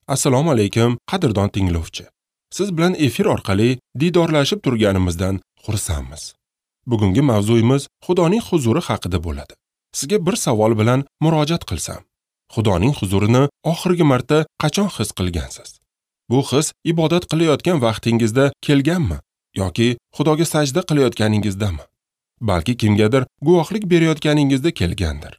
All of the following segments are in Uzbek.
Assalomu alaykum, qadrdon tinglovchi. Siz bilan efir orqali diydorlashib turganimizdan xursandmiz. Bugungi mavzuyimiz Xudoning huzuri haqida bo'ladi. Sizga bir savol bilan murojaat qilsam, Xudoning huzurini oxirgi marta qachon his qilgansiz? Bu his ibodat qilayotgan vaqtingizda kelganmi yoki Xudoga sajda qilayotganingizdami? Balki kimgadir guvohlik berayotganingizda kelgandir.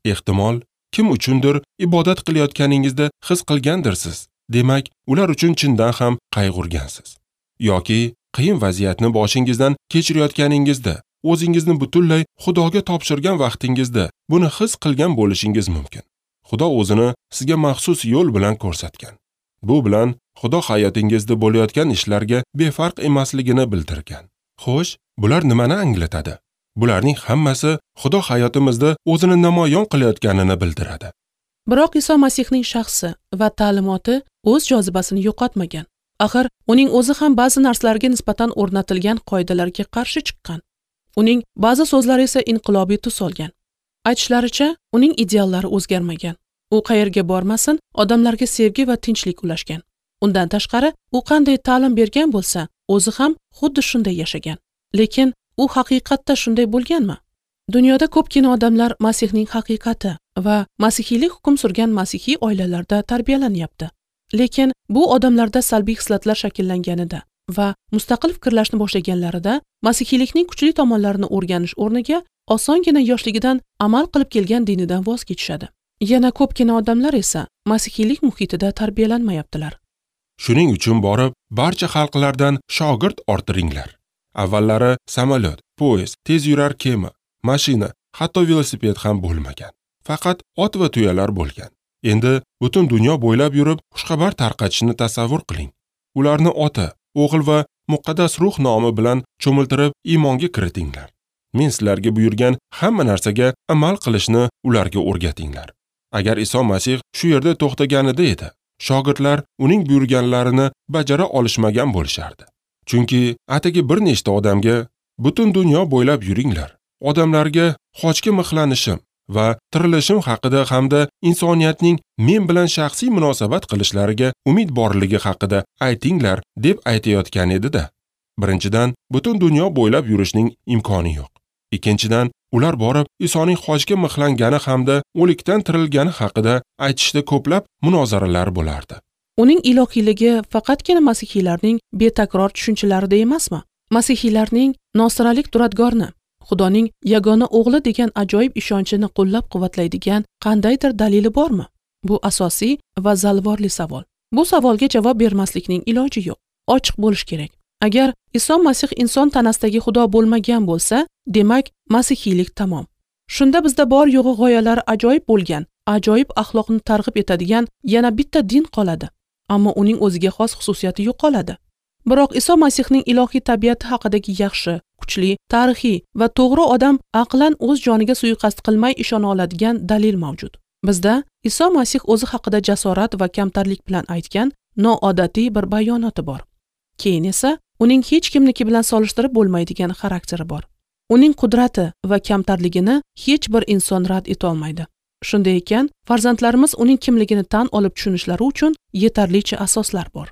Ehtimol, kim uchundir ibodat qilayotganingizda his qilgandirsiz. Demak, ular uchun chindan ham qayg'urgansiz. Yoki qiyin vaziyatni boshingizdan kechirayotganingizda, o'zingizni butunlay Xudoga topshirgan vaqtingizda buni his qilgan bo'lishingiz mumkin. Xudo o'zini sizga maxsus yo'l bilan ko'rsatgan. Bu bilan Xudo hayotingizda bo'layotgan ishlarga befarq emasligini bildirgan. Xo'sh, bular nimani anglatadi? Bularning hammasi Xudo hayotimizda o'zini namoyon qilayotganini bildiradi. Biroq Iso Masihning shaxsi va ta'limoti o'z jozibasini yo'qotmagan. Axir uning o'zi ham ba'zi narsalarga nisbatan o'rnatilgan qoidalarga qarshi chiqqan. Uning ba'zi so'zlari esa inqilobiy tus olgan. Aytishlaricha, uning ideallari o'zgarmagan. U qayerga bormasin, odamlarga sevgi va tinchlik ulashgan. Undan tashqari, u qanday ta'lim bergan bo'lsa, o'zi ham xuddi shunday yashagan. Lekin u haqiqatda shunday bo'lganmi? Dunyoda ko'pgina odamlar Masihning haqiqati va masihiylik hukm surgan masihiy oilalarda tarbiyalanyapti. Lekin bu odamlarda salbiy xislatlar shakllanganida va mustaqil fikrlashni boshlaganlarida masihiylikning kuchli tomonlarini o'rganish o'rniga osongina yoshligidan amal qilib kelgan dinidan voz kechishadi. Yana ko'pgina odamlar esa masihiylik muhitida tarbiyalanmayaptilar. Shuning uchun borib, barcha xalqlardan shogird orttiringlar. Avvallari samolyot, poyezd, tez yurar kema, mashina, hatto velosiped ham bo'lmagan. Faqat ot va tuyalar bo'lgan. Endi butun dunyo bo'ylab yurib, xushxabar tarqatishni tasavvur qiling. Ularni ota, o'g'il va muqaddas ruh nomi bilan cho'miltirib iymonga kiritinglar. Men sizlarga buyurgan hamma narsaga amal qilishni ularga o'rgatinglar. Agar Iso Masih shu yerda to'xtaganida edi, shogirdlar uning buyurganlarini bajara olishmagan bo'lishardi. Chunki atigi bir nechta odamga butun dunyo bo'ylab yuringlar, odamlarga xochga mixlanishim va tirilishim haqida hamda insoniyatning men bilan shaxsiy munosabat qilishlariga umid borligi haqida aytinglar deb aytayotgan edi-da. Birinchidan, butun dunyo bo'ylab yurishning imkoni yo'q. Ikkinchidan, ular borib Isoning xochga mixlangani hamda o'likdan tirilgani haqida aytishda ko'plab munozaralar bo'lardi. Uning ilohiyligi faqatgina masihiylarning betakror tushunchalarida emasmi? Masihiylarning nosiralik duradgorni, Xudoning yagona o'g'li degan ajoyib ishonchini qo'llab-quvvatlaydigan qandaydir dalili bormi? Bu asosiy va zalvorli savol. Bu savolga javob bermaslikning iloji yo'q. Ochiq bo'lish kerak. Agar Iso Masih inson tanasidagi Xudo bo'lmagan bo'lsa, demak, masihiylik tamom. Shunda bizda bor yo'g'i g'oyalari ajoyib bo'lgan, ajoyib axloqni targ'ib etadigan yana bitta din qoladi. Ammo uning o'ziga xos xususiyati yo'qoladi. Biroq Iso Masihning ilohiy tabiati haqidagi yaxshi, kuchli, tarixiy va to'g'ri odam aqlan o'z joniga suiqasd qilmay ishona oladigan dalil mavjud. Bizda Iso Masih o'zi haqida jasorat va kamtarlik bilan aytgan noodatiy bir bayonoti bor. Keyin esa uning hech kimniki bilan solishtirib bo'lmaydigan xarakteri bor. Uning qudrati va kamtarligini hech bir inson rad eta olmaydi. Shunday ekan, farzandlarimiz uning kimligini tan olib tushunishlari uchun yetarlicha asoslar bor.